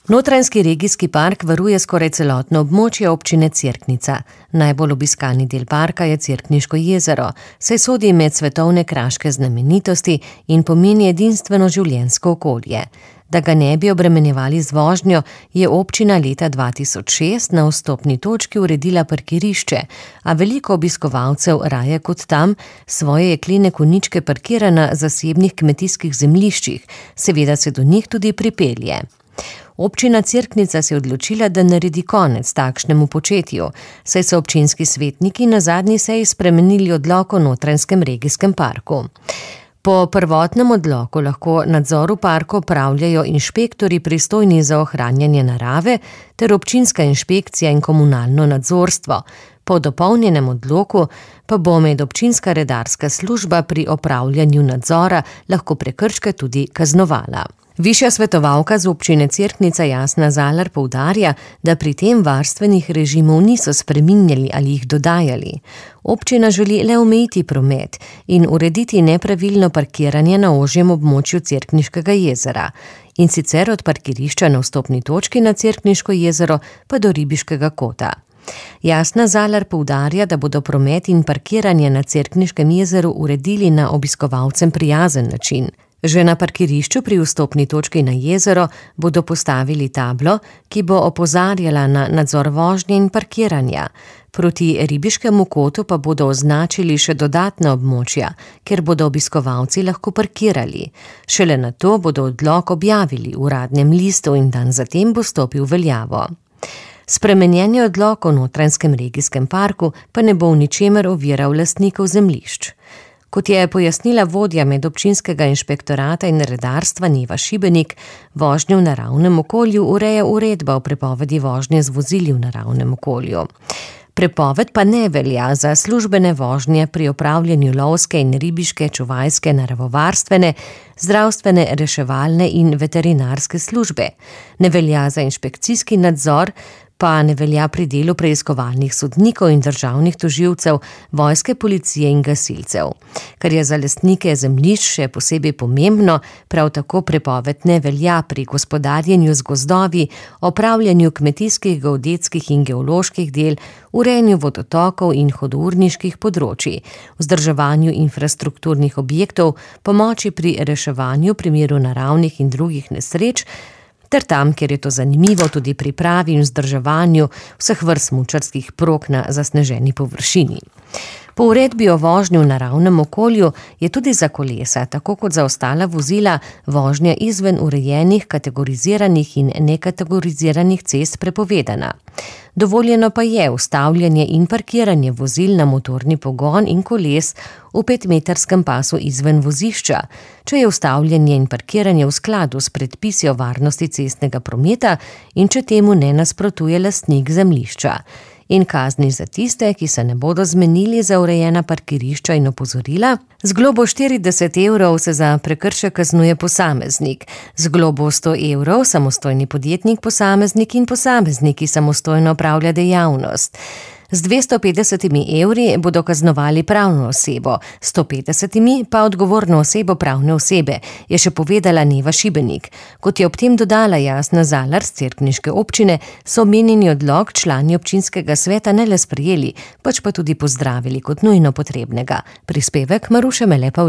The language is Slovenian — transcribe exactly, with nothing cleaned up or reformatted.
Notranjski regijski park varuje skoraj celotno območje občine Cerknica. Najbolj obiskani del parka je Cerkniško jezero, saj sodi med svetovne kraške znamenitosti in pomeni edinstveno življenjsko okolje. Da ga ne bi obremenjevali z vožnjo, je občina leta dva tisoč šest na vstopni točki uredila parkirišče, a veliko obiskovalcev raje kot tam svoje jeklene konjičke parkira na zasebnih kmetijskih zemljiščih, seveda se do njih tudi pripelje. Občina Cerknica se je odločila, da naredi konec takšnemu početju, saj so občinski svetniki na zadnji seji spremenili odlok o Notranjskem regijskem parku. Po prvotnem odloku lahko nadzor v parku opravljajo inšpektorji pristojni za ohranjanje narave ter občinska inšpekcija in komunalno nadzorstvo. Po dopolnjenem odloku pa bo medobčinska redarska služba pri opravljanju nadzora lahko prekrške tudi kaznovala. Višja svetovalka z občine Cerknica Jasna Zalar poudarja, da pri tem varstvenih režimov niso spreminjali ali jih dodajali. Občina želi le omejiti promet in urediti nepravilno parkiranje na ožjem območju Cerkniškega jezera, in sicer od parkirišča na vstopni točki na Cerkniško jezero pa do Ribiškega kota. Jasna Zalar poudarja, da bodo promet in parkiranje na Cerkniškem jezeru uredili na obiskovalcem prijazen način. Že na parkirišču pri vstopni točki na jezero bodo postavili tablo, ki bo opozarjala na nadzor vožnje in parkiranja. Proti Ribiškemu kotu pa bodo označili še dodatna območja, kjer bodo obiskovalci lahko parkirali. Šele nato bodo odlok objavili v uradnem listu in dan zatem bo stopil v veljavo. Spremenjeni odlok o Notranjskem regijskem parku pa ne bo v ničemer oviral lastnikov zemljišč. Kot je pojasnila vodja medobčinskega inšpektorata in redarstva Neva Šibenik, vožnjo v naravnem okolju ureja uredba o prepovedi vožnje z vozili v naravnem okolju. Prepoved pa ne velja za službene vožnje pri opravljanju lovske in ribiške, čuvajske, naravovarstvene, zdravstvene, reševalne in veterinarske službe. Ne velja za inšpekcijski nadzor, pa ne velja pri delu preiskovalnih sodnikov in državnih tožilcev, vojske, policije in gasilcev. Kar je za lastnike zemljišč še posebej pomembno, prav tako prepoved ne velja pri gospodarjenju z gozdovi, opravljanju kmetijskih, geodetskih in geoloških del, urejanju vodotokov in hudourniških področij, vzdrževanju infrastrukturnih objektov, pomoči pri reševanju v primeru naravnih in drugih nesreč, ter tam, kjer je to zanimivo, tudi pripravi in vzdrževanju vseh vrst smučarskih prog na zasneženi površini. Po uredbi o vožnji v naravnem okolju je tudi za kolesa, tako kot za ostala vozila, vožnja izven urejenih, kategoriziranih in nekategoriziranih cest prepovedana. Dovoljeno pa je ustavljanje in parkiranje vozil na motorni pogon in koles v petmetrskem pasu izven vozišča, če je ustavljanje in parkiranje v skladu s predpisi o varnosti cestnega prometa in če temu ne nasprotuje lastnik zemljišča. In kazni za tiste, ki se ne bodo zmenili za urejena parkirišča in opozorila. Z globo štirideset evrov se za prekršek kaznuje posameznik, z globo sto evrov samostojni podjetnik, posameznik in posameznik, ki samostojno opravlja dejavnost. Z dvesto petdesetimi evri bodo kaznovali pravno osebo, sto petdesetimi pa odgovorno osebo pravne osebe, je še povedala Neva Šibenik. Kot je ob tem dodala Jasna Zalar z Cerkniške občine, so omenjeni odlok člani občinskega sveta ne le sprejeli, pač pa tudi pozdravili kot nujno potrebnega. Prispevek Maruše Mele Pavlin.